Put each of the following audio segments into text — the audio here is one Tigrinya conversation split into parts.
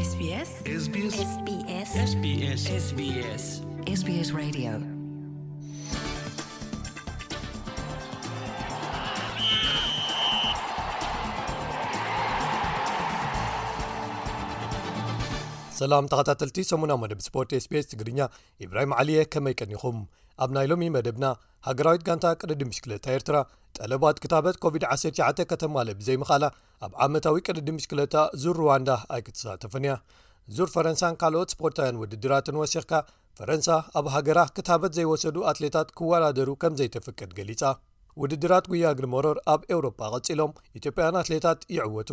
SBS SBS SBS SBS SBS SBS Radio. ሰላም ተኸታተልቲ ሰሙና መደብ ስፖርት SBS ትግርኛ፣ ኢብራሂም ዓሊየ፣ ከመይ ቀኒኹም? ኣብ ናይ ሎሚ መደብና፣ ሃገራዊት ጋንታ ቅድድም ብሽክለታ ኤርትራ ጠለባት ክታበት ኮቪድ ዓሰርተ ትሽዓተ ከተማልእ ብዘይምኽኣላ፣ ኣብ ዓመታዊ ቅድድም ብሽክለታ ዙር ሩዋንዳ ኣይክትሳተፍን እያ። ዙር ፈረንሳን ካልኦት ስፖርታውያን ውድድራትን ወሲኽካ፣ ፈረንሳ ኣብ ሃገራ ክታበት ዘይወሰዱ ኣትሌታት ክወዳደሩ ከም ዘይተፍቅድ ገሊጻ። ውድድራት ጉያ እግሪ መሮር ኣብ ኤውሮጳ ቀጺሎም፣ ኢትዮጵያውያን ኣትሌታት ይዕወቱ።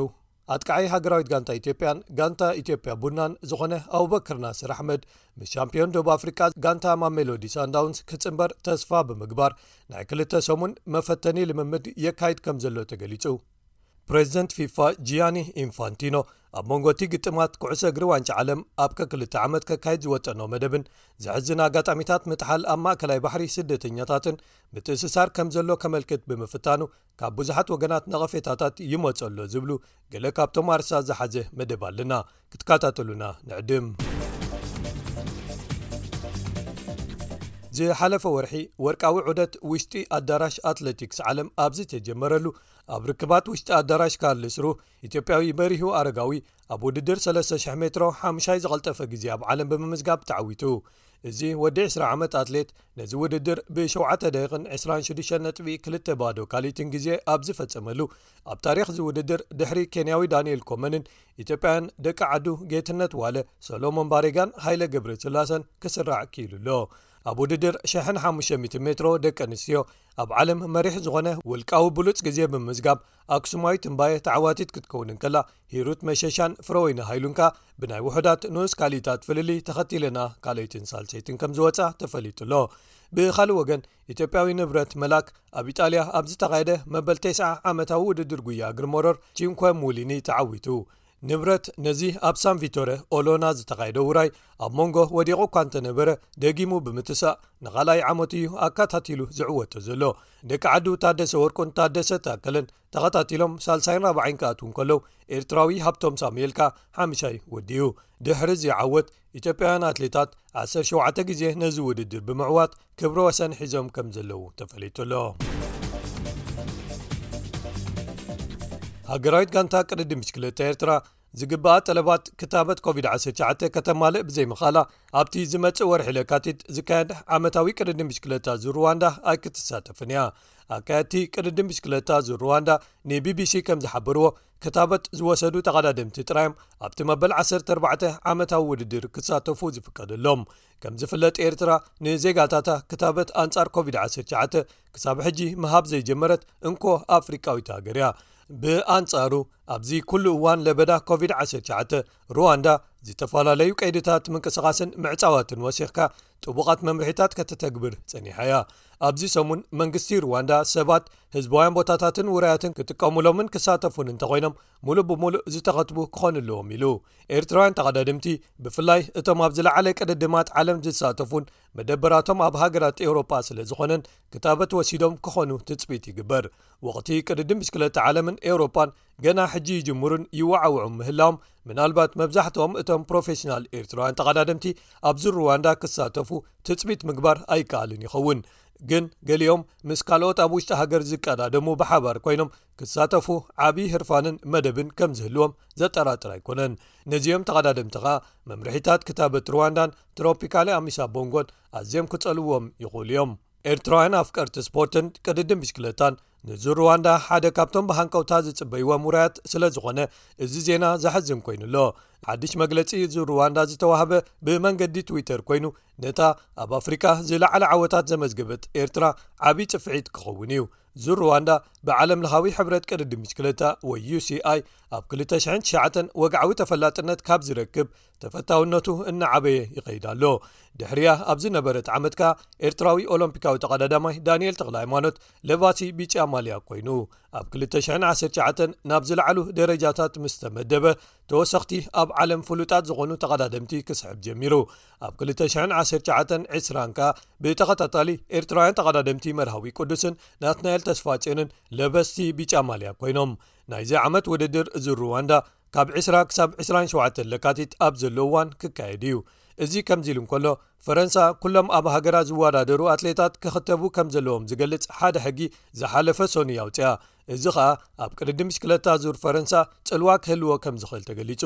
ኣጥቃዓይ ሃገራዊት ጋንታ ኢትዮጵያን ጋንታ ኢትዮጵያ ቡናን ዝኾነ ኣቡበክር ናስር ኣሕመድ፣ ምስ ሻምፒዮን ደቡብ ኣፍሪቃ ጋንታ ማሜሎዲ ሳንዳውንስ ክጽንበር ተስፋ ብምግባር፣ ናይ ክልተ ሰሙን መፈተኒ ልምምድ የካይድ ከም ዘሎ ተገሊጹ። ፕሬዚደንት ፊፋ ጂያኒ ኢንፋንቲኖ፣ ኣብ መንጎ እቲ ግጥማት ኩዕሶ እግሪ ዋንጫ ዓለም ኣብ ከክልተ ዓመት ከካይድ ዝወጠኖ መደብን ዘሕዝን ኣጋጣሚታት ምጥሓል ኣብ ማእከላይ ባሕሪ ስደተኛታትን ምትእስሳር ከም ዘሎ ከመልክት ብምፍታኑ፣ ካብ ብዙሓት ወገናት ነቐፌታታት ይመጾ ኣሎ ዝብሉ ገለ ካብቶም ኣርሳ ዝሓዘ መደብ ኣለና። ክትከታተሉና ንዕድም። ዝሓለፈ ወርሒ፣ ወርቃዊ ዑደት ውሽጢ ኣዳራሽ ኣትሌቲክስ ዓለም ኣብ ዝተጀመረሉ፣ ኣብ ርክባት ውሽጢ ኣዳራሽ ካርልስሩ፣ ኢትዮጵያዊ በሪሁ ኣረጋዊ ኣብ ውድድር ሰለስተ ሽሕ ሜትሮ ሓሙሻይ ዝቐልጠፈ ግዜ ኣብ ዓለም ብምምዝጋብ ተዓዊቱ። እዚ ወዲ ዕስራ ዓመት ኣትሌት፣ ነዚ ውድድር ብሸውዓተ ደቂቕን ዕስራን ሽዱሽተን ነጥቢ ክልተ ባዶ ካልኢትን ግዜ ኣብ ዝፈጸመሉ፣ ኣብ ታሪኽ እዚ ውድድር፣ ድሕሪ ኬንያዊ ዳንኤል ኮመንን ኢትዮጵያውያን ደቂ ዓዱ ጌትነት ዋለ፣ ሰሎሞን ባሬጋን ሃይለ ገብረስላሰን፣ ክስራዕ ክኢሉ ኣሎ። ኣብ ውድድር ሽሕን ሓሙሽተ ሚእትን ሜትሮ ደቂ ኣንስትዮ፣ ኣብ ዓለም መሪሕ ዝኾነ ውልቃዊ ብሉጽ ግዜ ብምምዝጋብ፣ ኣክሱማዊት እምባየ ተዓዋቲት ክትከውን እንከላ፣ ሂሩት መሸሻን ፍረወይኒ ሃይሉን ከኣ ብናይ ውሑዳት ንኡስ ካልኢታት ፍልልይ ተኸቲለና ካልኣይትን ሳልሰይትን ከም ዝወጻ ተፈሊጡ ኣሎ። ብኻልእ ወገን፣ ኢትዮጵያዊ ንብረት መላክ ኣብ ኢጣልያ ኣብ ዝተኻየደ መበል ተስዓ ዓመታዊ ውድድር ጉያ እግሪ መሮር ቺንኮ ሙሊኒ ተዓዊቱ። ንብረት ነዚ ኣብ ሳን ቪቶረ ኦሎና ዝተኻየደ ውራይ ኣብ መንጎ ወዲቑ እኳ እንተነበረ፣ ደጊሙ ብምትሳእ ንኻልኣይ ዓመቱ እዩ ኣካታቲሉ ዝዕወቶ ዘሎ። ደቂ ዓዱ ታደሰ ወርቁን ታደሰ ታከለን ተኸታቲሎም ሳልሳይን ራብዓይን ክኣትዉ እንከለዉ፣ ኤርትራዊ ሃብቶም ሳሙኤል ከኣ ሓምሻይ ወዲኡ። ድሕሪ እዚ ዓወት፣ ኢትዮጵያውያን ኣትሌታት ዓሰርተ ሸውዓተ ግዜ ነዚ ውድድር ብምዕዋት ክብረ ወሰን ሒዞም ከም ዘለዉ ተፈሊጡ ኣሎ። ሃገራዊት ጋንታ ቅድድም ብሽክለታ ኤርትራ ዝግባኣ ጠለባት ክታበት ኮቪድ ዓሰርተ ትሽዓተ ከተማልእ ብዘይምኽኣላ፣ ኣብቲ ዝመጽእ ወርሒ ለካቲት ዝካየድ ዓመታዊ ቅድድም ብሽክለታ ዙር ሩዋንዳ ኣይክትሳተፍን እያ። ኣካየድቲ ቅድድም ብሽክለታ ዙር ሩዋንዳ ንቢቢሲ ከም ዝሓበርዎ፣ ክታበት ዝወሰዱ ተቐዳደምቲ ጥራዮም ኣብቲ መበል ዓሰርተ ኣርባዕተ ዓመታዊ ውድድር ክሳተፉ ዝፍቀደሎም። ከም ዝፍለጥ፣ ኤርትራ ንዜጋታታ ክታበት ኣንጻር ኮቪድ ዓሰርተ ትሽዓተ ክሳብ ሕጂ ምሃብ ዘይጀመረት እንኮ ኣፍሪቃዊት ሃገር እያ። ብኣንጻሩ፣ ኣብዚ ኩሉ እዋን ለበዳ ኮቪድ ዓሰርተ ትሽዓተ፣ ሩዋንዳ ዝተፈላለዩ ቀይድታት ምንቅስቓስን ምዕጻዋትን ወሲኽካ ጥቡቓት መምርሒታት ከተተግብር ጸኒሓ እያ። ኣብዚ ሰሙን መንግስቲ ሩዋንዳ ሰባት ህዝባውያን ቦታታትን ውራያትን ክጥቀሙሎምን ክሳተፉን እንተኾይኖም፣ ሙሉእ ብሙሉእ ዝተኸትቡ ክኾኑ ኣለዎም ኢሉ። ኤርትራውያን ተቐዳደምቲ፣ ብፍላይ እቶም ኣብ ዝለዓለ ቅድድማት ዓለም ዝሳተፉን መደበራቶም ኣብ ሃገራት ኤውሮጳ ስለ ዝኾነን፣ ክታበት ወሲዶም ክኾኑ ትጽቢት ይግበር። ወቕቲ ቅድድም ብሽክለታ ዓለምን ኤውሮጳን ገና ሕጂ ይጅምሩን ይወዓውዑን ምህላዎም፣ ምናልባት መብዛሕትኦም እቶም ፕሮፌሽናል ኤርትራውያን ተቐዳደምቲ ኣብዚ ሩዋንዳ ክሳተፉ ትጽቢት ምግባር ኣይከኣልን ይኸውን። ግን ገሊኦም ምስ ካልኦት ኣብ ውሽጢ ሃገር ዝቀዳደሙ ብሓባር ኮይኖም ክሳተፉ ዓቢ ህርፋንን መደብን ከም ዝህልዎም ዘጠራጥር ኣይኮነን። ነዚኦም ተቐዳደምቲ ኸኣ መምርሒታት ክታበት ሩዋንዳን ትሮፒካሊ ኣሚሳ ቦንጎን ኣዝዮም ክጸልዎም ይኽእሉ እዮም። ኤርትራውያን ኣፍቀርቲ ስፖርትን ቅድድም ብሽክለታን፣ ንዙር ሩዋንዳ ሓደ ካብቶም ብሃንቀውታ ዝጽበይዎም ውራያት ስለ ዝኾነ፣ እዚ ዜና ዘሕዝን ኮይኑ ኣሎ። ሓድሽ መግለጺ ዙር ሩዋንዳ ዝተዋህበ ብመንገዲ ትዊተር ኮይኑ፣ ነታ ኣብ ኣፍሪቃ ዝለዓለ ዓወታት ዘመዝገበት ኤርትራ ዓቢ ጽፍዒት ክኸውን እዩ። ዙር ሩዋንዳ ብዓለም ለኻዊ ሕብረት ቅድድም ብሽክለታ ወይ ዩ ሲ ኣይ ኣብ ክልተ ሽሕን ትሽዓተን ወግዓዊ ተፈላጥነት ካብ ዝረክብ፣ ተፈታውነቱ እናዓበየ ይኸይድ ኣሎ። ድሕሪያ ኣብ ዝነበረት ዓመት ከኣ ኤርትራዊ ኦሎምፒካዊ ተቐዳዳማይ ዳንኤል ተኽለ ሃይማኖት ለባሲ ቢጫ ማልያ ኮይኑ፣ ኣብ ክልተ ሽሕን ዓሰርተ ትሽዓተን ናብ ዝለዓሉ ደረጃታት ምስ ተመደበ፣ ተወሰኽቲ ኣብ ዓለም ፍሉጣት ዝኾኑ ተቐዳደምቲ ክስሕብ ጀሚሩ። ኣብ ክልተ ሽሕን ዓሰርተ ትሽዓተን ዕስራን ከኣ ብተኸታታሊ ኤርትራውያን ተቐዳደምቲ መርሃዊ ቅዱስን ናትናኤል ተስፋጽዮንን ለበስቲ ቢጫ ማልያ ኮይኖም። ናይዚ ዓመት ውድድር ዙር ሩዋንዳ ካብ ዕስራ ክሳብ ዕስራን ሸውዓተን ለካቲት ኣብ ዘሎ እዋን ክካየድ እዩ። እዚ ከምዚ ኢሉ እንከሎ፣ ፈረንሳ ኩሎም ኣብ ሃገራ ዝወዳደሩ ኣትሌታት ክኽተቡ ከም ዘለዎም ዝገልጽ ሓደ ሕጊ ዝሓለፈ ሰኑይ ኣውጽኣ። እዚ ኸኣ ኣብ ቅድድም ብሽክለታ ዙር ፈረንሳ ጽልዋ ክህልዎ ከም ዝኽእል ተገሊጹ።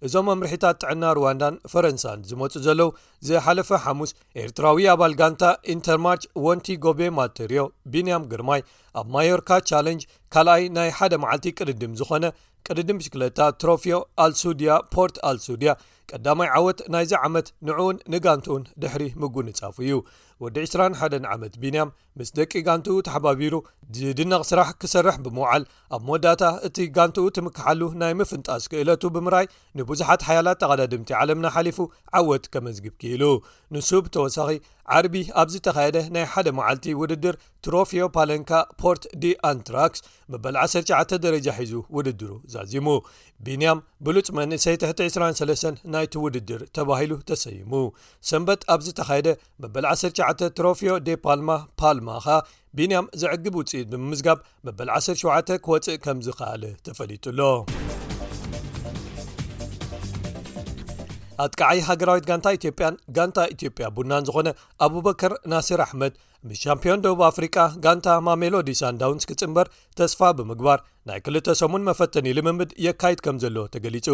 እዞም መምርሒታት ጥዕና ሩዋንዳን ፈረንሳን ዝመጹ ዘለዉ፣ ዝሓለፈ ሓሙስ ኤርትራዊ ኣባል ጋንታ ኢንተርማርች ወንቲ ጎቤ ማተርዮ ቢንያም ግርማይ ኣብ ማዮርካ ቻለንጅ ካልኣይ ናይ ሓደ መዓልቲ ቅድድም ዝኾነ ቅድድም ብሽክለታ ትሮፊዮ ኣልሱድያ ፖርት ኣልሱድያ ቀዳማይ ዓወት ናይዚ ዓመት ንዕኡን ንጋንትኡን ድሕሪ ምጉንጻፉ እዩ። ወዲ ዕስራን ሓደን ዓመት ቢንያም ምስ ደቂ ጋንትኡ ተሓባቢሩ ዝድነቕ ስራሕ ክሰርሕ ብምውዓል፣ ኣብ መወዳእታ እቲ ጋንትኡ ትምክሓሉ ናይ ምፍንጣስ ክእለቱ ብምርኣይ፣ ንብዙሓት ሓያላት ተቐዳድምቲ ዓለምና ሓሊፉ ዓወት ከመዝግብ ክኢሉ። ንሱ ብተወሳኺ፣ ዓርቢ ኣብ ዝተኻየደ ናይ ሓደ መዓልቲ ውድድር ትሮፊዮ ፓለንካ ፖርት ዲ ኣንትራክስ መበል ዓሰርተ ትሽዓተ ደረጃ ሒዙ ውድድሩ ዛዚሙ። ቢንያም ብሉጽ መንእሰይ ትሕቲ ዕስራን ሰለስተን ናይቲ ውድድር ተባሂሉ ተሰይሙ። ሰንበት ኣብ ዝተኻየደ መበል ዓሰርተ ትሽዓተ ትሮፊዮ ዴ ፓልማ ፓልማ ኸኣ ቢንያም ዘዕግብ ውጽኢት ብምምዝጋብ መበል ዓሰርተ ሸውዓተ ክወጽእ ከም ዝኸኣለ ተፈሊጡ ኣሎ። ኣጥቃዓይ ሃገራዊት ጋንታ ኢትዮጵያን ጋንታ ኢትዮጵያ ቡናን ዝኾነ ኣቡበከር ናስር ኣሕመድ፣ ምስ ሻምፒዮን ደቡብ ኣፍሪቃ ጋንታ ማሜሎዲ ሳንዳውንስ ክጽንበር ተስፋ ብምግባር፣ ናይ ክልተ ሰሙን መፈተኒ ልምምድ የካይድ ከም ዘሎ ተገሊጹ።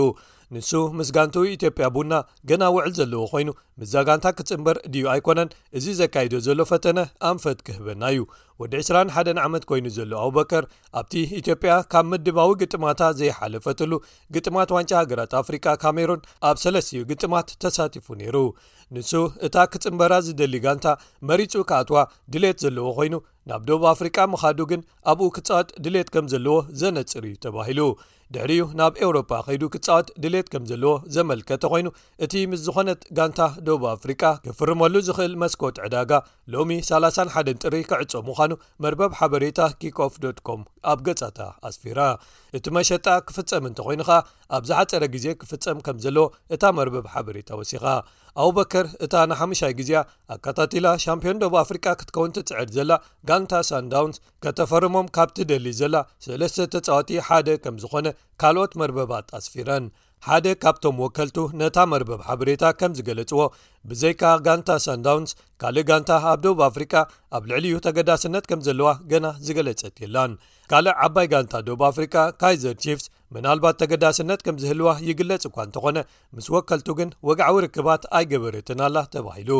ንሱ ምስ ጋንትኡ ኢትዮጵያ ቡና ገና ውዕል ዘለዎ ኮይኑ፣ ምስዛ ጋንታ ክጽንበር ድዩ ኣይኮነን፣ እዚ ዘካይዶ ዘሎ ፈተነ ኣንፈት ክህበና እዩ። ወዲ ዕስራን ሓደን ዓመት ኮይኑ ዘሎ ኣቡበከር፣ ኣብቲ ኢትዮጵያ ካብ ምድባዊ ግጥማታ ዘይሓለፈትሉ ግጥማት ዋንጫ ሃገራት ኣፍሪቃ ካሜሩን ኣብ ሰለስቲኡ ግጥማት ተሳቲፉ ነይሩ። ንሱ እታ ክጽንበራ ዝደሊ ጋንታ መሪጹ ክኣትዋ ድሌት ዘለዎ ኮይኑ፣ ናብ ደቡብ ኣፍሪቃ ምኻዱ ግን ኣብኡ ክጻወት ድሌት ከም ዘለዎ ዘነጽር እዩ ተባሂሉ። ድሕሪኡ ናብ ኤውሮጳ ከይዱ ክጻወት ድሌት ከም ዘለዎ ዘመልከተ ኮይኑ፣ እቲ ምስ ዝኾነት ጋንታ ደቡብ ኣፍሪቃ ክፍርመሉ ዝኽእል መስኮት ዕዳጋ ሎሚ ሰላሳን ሓደን ጥሪ ክዕጾ ምዃኑ መርበብ ሓበሬታ ኪክኦፍ ዶት ኮም ኣብ ገጻታ ኣስፊራ። እቲ መሸጣ ክፍጸም እንተኾይኑ ኸኣ፣ ኣብ ዝሓጸረ ግዜ ክፍጸም ከም ዘለዎ እታ መርበብ ሓበሬታ ወሲኻ። ኣቡበከር እታ ንሓሙሻይ ግዜኣ ኣከታቲላ ሻምፒዮን ደቡብ ኣፍሪቃ ክትከውን ትጽዕር ዘላ ጋንታ ሳንዳውንስ፣ ከተፈርሞም ካብ ትደሊ ዘላ ሰለስተ ተጻወቲ ሓደ ከም ዝኾነ ካልኦት መርበባት ኣስፊረን። ሓደ ካብቶም ወከልቱ ነታ መርበብ ሓበሬታ ከም ዝገለጽዎ፣ ብዘይካ ጋንታ ሳንዳውንስ፣ ካልእ ጋንታ ኣብ ደቡብ ኣፍሪቃ ኣብ ልዕሊኡ ተገዳስነት ከም ዘለዋ ገና ዝገለጸት የላን። ካልእ ዓባይ ጋንታ ደቡብ ኣፍሪቃ፣ ካይዘር ቺፍስ፣ ምናልባት ተገዳስነት ከም ዝህልዋ ይግለጽ እኳ እንተኾነ፣ ምስ ወከልቱ ግን ወግዓዊ ርክባት ኣይገበረትን ኣላ ተባሂሉ።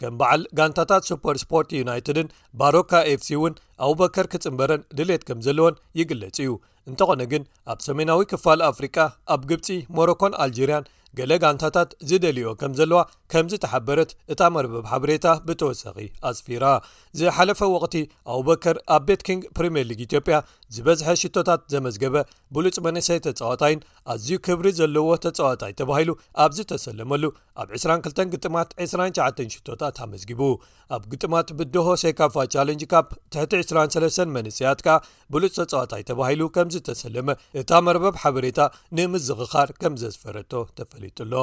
ከም በዓል ጋንታታት ሱፐር ስፖርት ዩናይትድን ባሮካ ኤፍሲ እውን ኣቡበከር ክጽንበረን ድሌት ከም ዘለወን ይግለጽ እዩ። እንተኾነ ግን፣ ኣብ ሰሜናዊ ክፋል ኣፍሪቃ፣ ኣብ ግብጺ፣ ሞሮኮን ኣልጀርያን ገለ ጋንታታት ዝደልዮ ከም ዘለዋ ከም ዝተሓበረት እታ መርበብ ሓበሬታ ብተወሳኺ ኣስፊራ። ዝሓለፈ ወቕቲ ኣቡበከር ኣብ ቤት ኪንግ ፕሪምየር ሊግ ኢትዮጵያ ዝበዝሐ ሽቶታት ዘመዝገበ ብሉጽ መንእሰይ ተጻዋታይን ኣዝዩ ክብሪ ዘለዎ ተጻዋታይ ተባሂሉ ኣብ ዝተሰለመሉ፣ ኣብ ዕስራን ክልተን ግጥማት ዕስራን ትሽዓተን ሽቶታት ኣመዝጊቡ። ኣብ ግጥማት ብድሆ ሴካፋ ቻለንጅ ካፕ ትሕቲ ዕስራን ሰለስተን መንእሰያት ከኣ ብሉጽ ተጻዋታይ ተባሂሉ ከም ዝተሰለመ እታ መርበብ ሓበሬታ ንምዝኽኻር ከም ዘስፈረቶ ተፈሊጡ ኣሎ።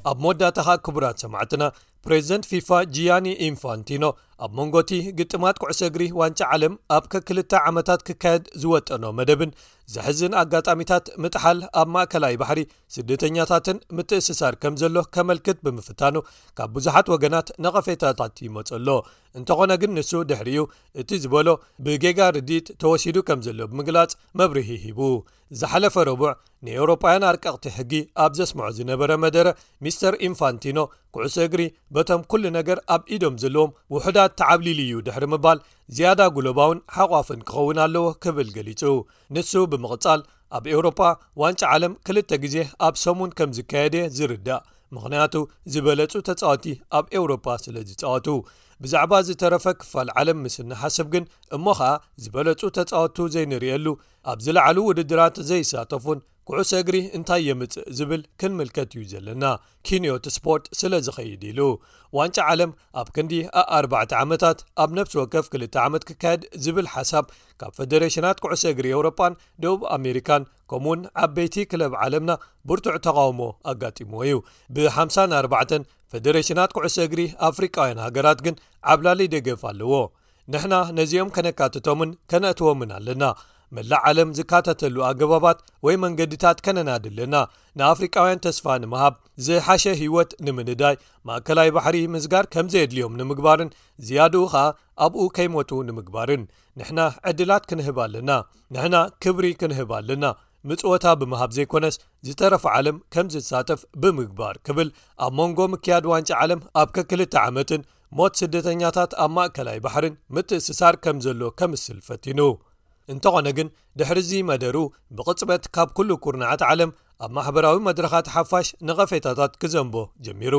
ኣብ መወዳእታ ኸኣ ክቡራት ሰማዕትና፣ ፕሬዚደንት ፊፋ ጂያኒ ኢንፋንቲኖ ኣብ መንጎቲ ግጥማት ኩዕሶ እግሪ ዋንጫ ዓለም ኣብ ከክልተ ዓመታት ክካየድ ዝወጠኖ መደብን ዘሕዝን ኣጋጣሚታት ምጥሓል ኣብ ማእከላይ ባሕሪ ስደተኛታትን ምትእስሳር ከም ዘሎ ከመልክት ብምፍታኑ ካብ ብዙሓት ወገናት ነቐፌታታት ይመጾ ኣሎ። እንተኾነ ግን ንሱ ድሕሪኡ እቲ ዝበሎ ብጌጋ ርድኢት ተወሲዱ ከም ዘሎ ብምግላጽ መብርሂ ሂቡ። ዝሓለፈ ረቡዕ ንኤውሮጳውያን ኣርቀቕቲ ሕጊ ኣብ ዘስምዖ ዝነበረ መደረ፣ ሚስተር ኢንፋንቲኖ ኩዕሶ እግሪ በቶም ኩሉ ነገር ኣብ ኢዶም ዘለዎም ውሑዳት ተዓብሊሉ እዩ ድሕሪ ምባል፣ ዝያዳ ጉሎባውን ሓቋፍን ክኸውን ኣለዎ ክብል ገሊጹ። ንሱ ብምቕጻል፣ ኣብ ኤውሮጳ ዋንጫ ዓለም ክልተ ግዜ ኣብ ሰሙን ከም ዝካየድ እየ ዝርዳእ፣ ምኽንያቱ ዝበለጹ ተጻወቲ ኣብ ኤውሮጳ ስለ ዝጻወቱ። ብዛዕባ ዝተረፈ ክፋል ዓለም ምስ እንሓስብ ግን፣ እሞ ኸኣ ዝበለጹ ተጻወቱ ዘይንርእየሉ፣ ኣብ ዝለዓሉ ውድድራት ዘይሳተፉን ኩዕሶ እግሪ እንታይ የምጽእ ዝብል ክንምልከት እዩ ዘለና፣ ኪንዮት ስፖርት ስለ ዝኸይድ ኢሉ። ዋንጫ ዓለም ኣብ ክንዲ ኣኣርባዕተ ዓመታት ኣብ ነፍሲ ወከፍ ክልተ ዓመት ክካየድ ዝብል ሓሳብ ካብ ፈደሬሽናት ኩዕሶ እግሪ ኤውሮጳን ደቡብ ኣሜሪካን ከምኡውን ዓበይቲ ክለብ ዓለምና ብርቱዕ ተቓውሞ ኣጋጢምዎ እዩ። ብ54ን ፈደሬሽናት ኩዕሶ እግሪ ኣፍሪቃውያን ሃገራት ግን ዓብላሊ ደገፍ ኣለዎ። ንሕና ነዚኦም ከነካትቶምን ከነእትዎምን ኣለና። መላእ ዓለም ዝካተተሉ ኣገባባት ወይ መንገድታት ከነናዲ ኣለና። ንኣፍሪቃውያን ተስፋ ንምሃብ፣ ዝሓሸ ህይወት ንምንዳይ፣ ማእከላይ ባሕሪ ምዝጋር ከም ዘየድልዮም ንምግባርን ዝያድኡ ኸኣ ኣብኡ ከይሞቱ ንምግባርን ንሕና ዕድላት ክንህብ ኣለና። ንሕና ክብሪ ክንህብ ኣለና። ምጽወታ ብምሃብ ዘይኮነስ ዝተረፈ ዓለም ከም ዝሳተፍ ብምግባር ክብል ኣብ መንጎ ምክያድ ዋንጫ ዓለም ኣብ ከክልተ ዓመትን ሞት ስደተኛታት ኣብ ማእከላይ ባሕርን ምትእስሳር ከም ዘሎ ከምስል ፈቲኑ። እንተኾነ ግን ድሕሪ እዚ መደሩ ብቕጽበት ካብ ኩሉ ኩርናዓት ዓለም ኣብ ማሕበራዊ መድረኻት ሓፋሽ ነቐፌታታት ክዘንቦ ጀሚሩ።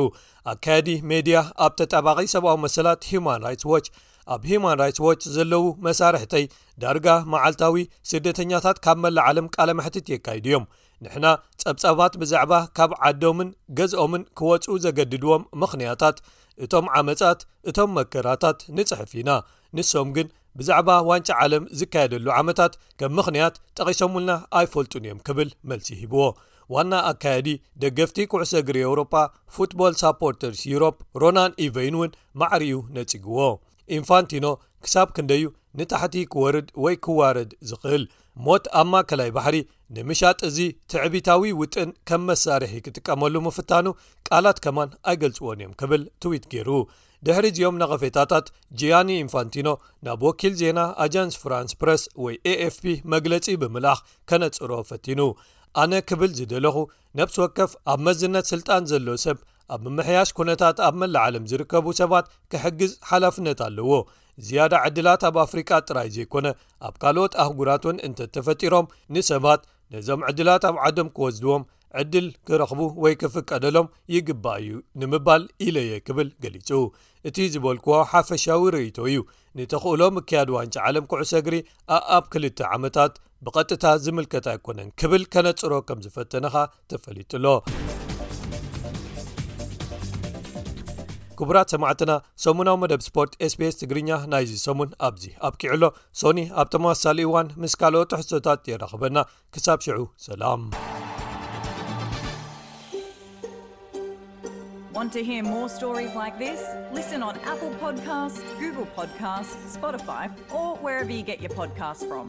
ኣካያዲ ሜድያ ኣብ ተጣባቒ ሰብኣዊ መሰላት ሂዩማን ራይትስ ዎች ኣብ ሂዩማን ራይትስ ዎች ዘለዉ መሳርሕተይ ዳርጋ መዓልታዊ ስደተኛታት ካብ መላእ ዓለም ቃለ መሕትት የካይዱ እዮም። ንሕና ጸብጻባት ብዛዕባ ካብ ዓዶምን ገዝኦምን ክወጹ ዘገድድዎም ምኽንያታት፣ እቶም ዓመጻት፣ እቶም መከራታት ንጽሕፍ ኢና። ንሶም ግን ብዛዕባ ዋንጫ ዓለም ዝካየደሉ ዓመታት ከም ምኽንያት ጠቒሶሙልና ኣይፈልጡን እዮም ክብል መልሲ ሂብዎ። ዋና ኣካያዲ ደገፍቲ ኩዕሶ እግሪ ኤውሮጳ ፉትቦል ሳፖርተርስ ዩሮፕ ሮናን ኢቨይን እውን ማዕሪኡ ነጺግዎ። ኢንፋንቲኖ ክሳብ ክንደዩ ንታሕቲ ክወርድ ወይ ክዋረድ ዝኽእል ሞት ኣብ ማእከላይ ባሕሪ ንምሻጥ እዚ ትዕቢታዊ ውጥን ከም መሳርሒ ክጥቀመሉ ምፍታኑ ቃላት ከማን ኣይገልጽዎን እዮም ክብል ትዊት ገይሩ። ድሕሪ እዚኦም ነቐፌታታት ጂያኒ ኢንፋንቲኖ ናብ ወኪል ዜና ኣጃንስ ፍራንስ ፕረስ ወይ ኤኤፍፒ መግለጺ ብምልኣኽ ከነጽሮ ፈቲኑ። ኣነ ክብል ዝደለኹ ነብሲ ወከፍ ኣብ መዝነት ስልጣን ዘሎ ሰብ ኣብ ምምሕያሽ ኩነታት ኣብ መላእ ዓለም ዝርከቡ ሰባት ክሕግዝ ሓላፍነት ኣለዎ። ዝያዳ ዕድላት ኣብ ኣፍሪቃ ጥራይ ዘይኮነ ኣብ ካልኦት ኣህጉራት እውን እንተተፈጢሮም ንሰባት ነዞም ዕድላት ኣብ ዓዶም ክወስድዎም ዕድል ክረኽቡ ወይ ክፍቀደሎም ይግባእ እዩ ንምባል ኢለየ ክብል ገሊጹ። እቲ ዝበልክዎ ሓፈሻዊ ርእይቶ እዩ። ንተኽእሎ ምክያድ ዋንጫ ዓለም ኩዕሶ እግሪ ኣኣብ ክልተ ዓመታት ብቐጥታ ዝምልከት ኣይኮነን ክብል ከነጽሮ ከም ዝፈተነኻ ተፈሊጡ ኣሎ። ክቡራት ሰማዕትና፣ ሰሙናዊ መደብ ስፖርት ኤስቢኤስ ትግርኛ ናይዚ ሰሙን ኣብዚ ኣብቂዑ ኣሎ። ሶኒ ኣብ ተመሳሳሊ እዋን ምስ ካልኦት ትሕዝቶታት የራኽበና። ክሳብ ሽዑ ሰላም። Want to hear more stories like this? Listen on Apple Podcasts, Google Podcasts, Spotify, or wherever you get your podcasts from.